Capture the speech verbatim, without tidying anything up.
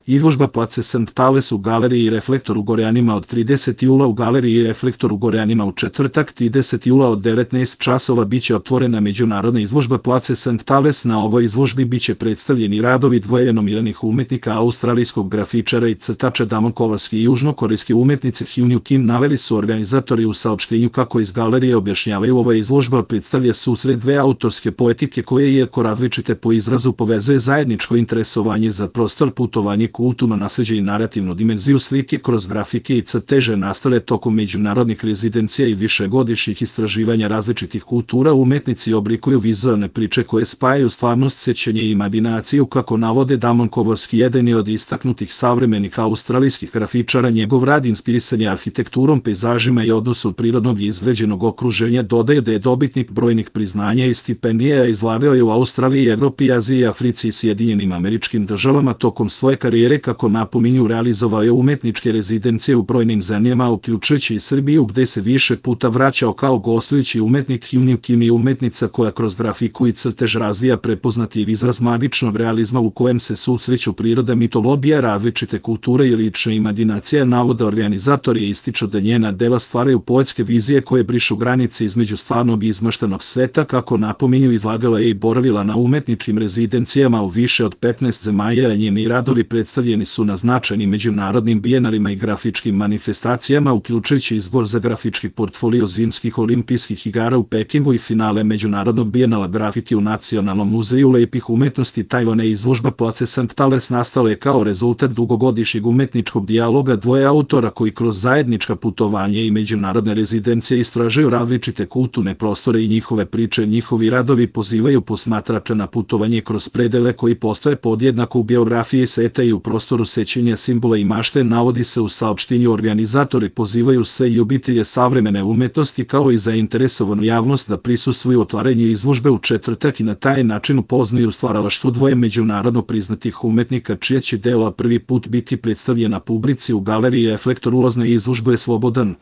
Izložba Place Saint Palace u galeriji Reflektor u Gorjanima od tridesetog jula u galeriji Reflektor u Gorjanima u četvrtak tridesetog jula od devetnaest časova biće otvorena međunarodna izložba Place Saint Palace. Na ovoj izložbi biće predstavljeni radovi dvoje nominiranih umetnika, australijskog grafičara i crtača Damon Kovarski i južnokorejske umetnice Hyunju Kim. Naveli su organizatori u saopštenju kako iz galerije objašnjavaju, ova izložba predstavlja susret dve autorske poetike koje, iako različite po izrazu, povezuje zajedničko interesovanje za prostor, putovanje, kulturno nasleđe i narativnu dimenziju slike kroz grafike i crteže nastale tokom međunarodnih rezidencija i višegodišnjih istraživanja različitih kultura. Umetnici oblikuju vizualne priče koje spajaju stvarnost, sećanje i imaginaciju, kako navode Damon Kovarski, jedan je od istaknutih savremenih australijskih grafičara. Njegov rad inspirisan je arhitekturom, pejzažima i odnosu prirodnog i izgrađenog okruženja. Dodaje da je dobitnik brojnih priznanja i stipendija, izlagao je u Australiji, Evropi, Aziji, Africi i Sjedinjenim Američkim Državama. Tokom svoje karijere, kako napominju, realizovao je umetničke rezidencije u brojnim zemljama, uključujući i Srbiju, gde se više puta vraćao kao gostujući umetnik. Hyunju Kim je umetnica koja kroz grafiku i crtež razvija prepoznati izraz magičnog realizma u kojem se susreću priroda, mitologija, različite kulture i lična imaginacija. Navode organizatori ističu da njena dela stvaraju poetske vizije koje brišu granice između stvarnog i izmaštenog sveta. Kako napominju, izlagala je i boravila na umetničkim rezidencijama u više od petnaest zemalja, a njeni radovi predstavljeni su na značajnim međunarodnim bijenalima i grafičkim manifestacijama, uključujući izbor za grafički portfolio zimskih olimpijskih igara u Pekingu i finale međunarodnog bijenala grafike u Nacionalnom muzeju lepih umetnosti Tajvana. Izložba Place Saint Palace nastala je kao rezultat dugogodišnjeg umetničkog dijaloga dvoje autora koji kroz zajednička putovanja i međunarodne rezidencije istražuju različite kulturne prostore i njihove priče. Njihovi radovi pozivaju posmatrača na putovanje kroz predele koji postoje podjednako u biografiji sveta i u prostoru sećanja, simbola i mašte. Navodi se u saopštenju, organizatori pozivaju sve ljubitelje savremene umetnosti kao i zainteresovanu javnost da prisustvuju otvaranju izložbe u četvrtak i na taj način upoznaju stvaralaštvo dvoje međunarodno priznatih umetnika, čija će dela prvi put biti predstavljena publici u galeriji Reflektor. Ulaz na izložbu je slobodan.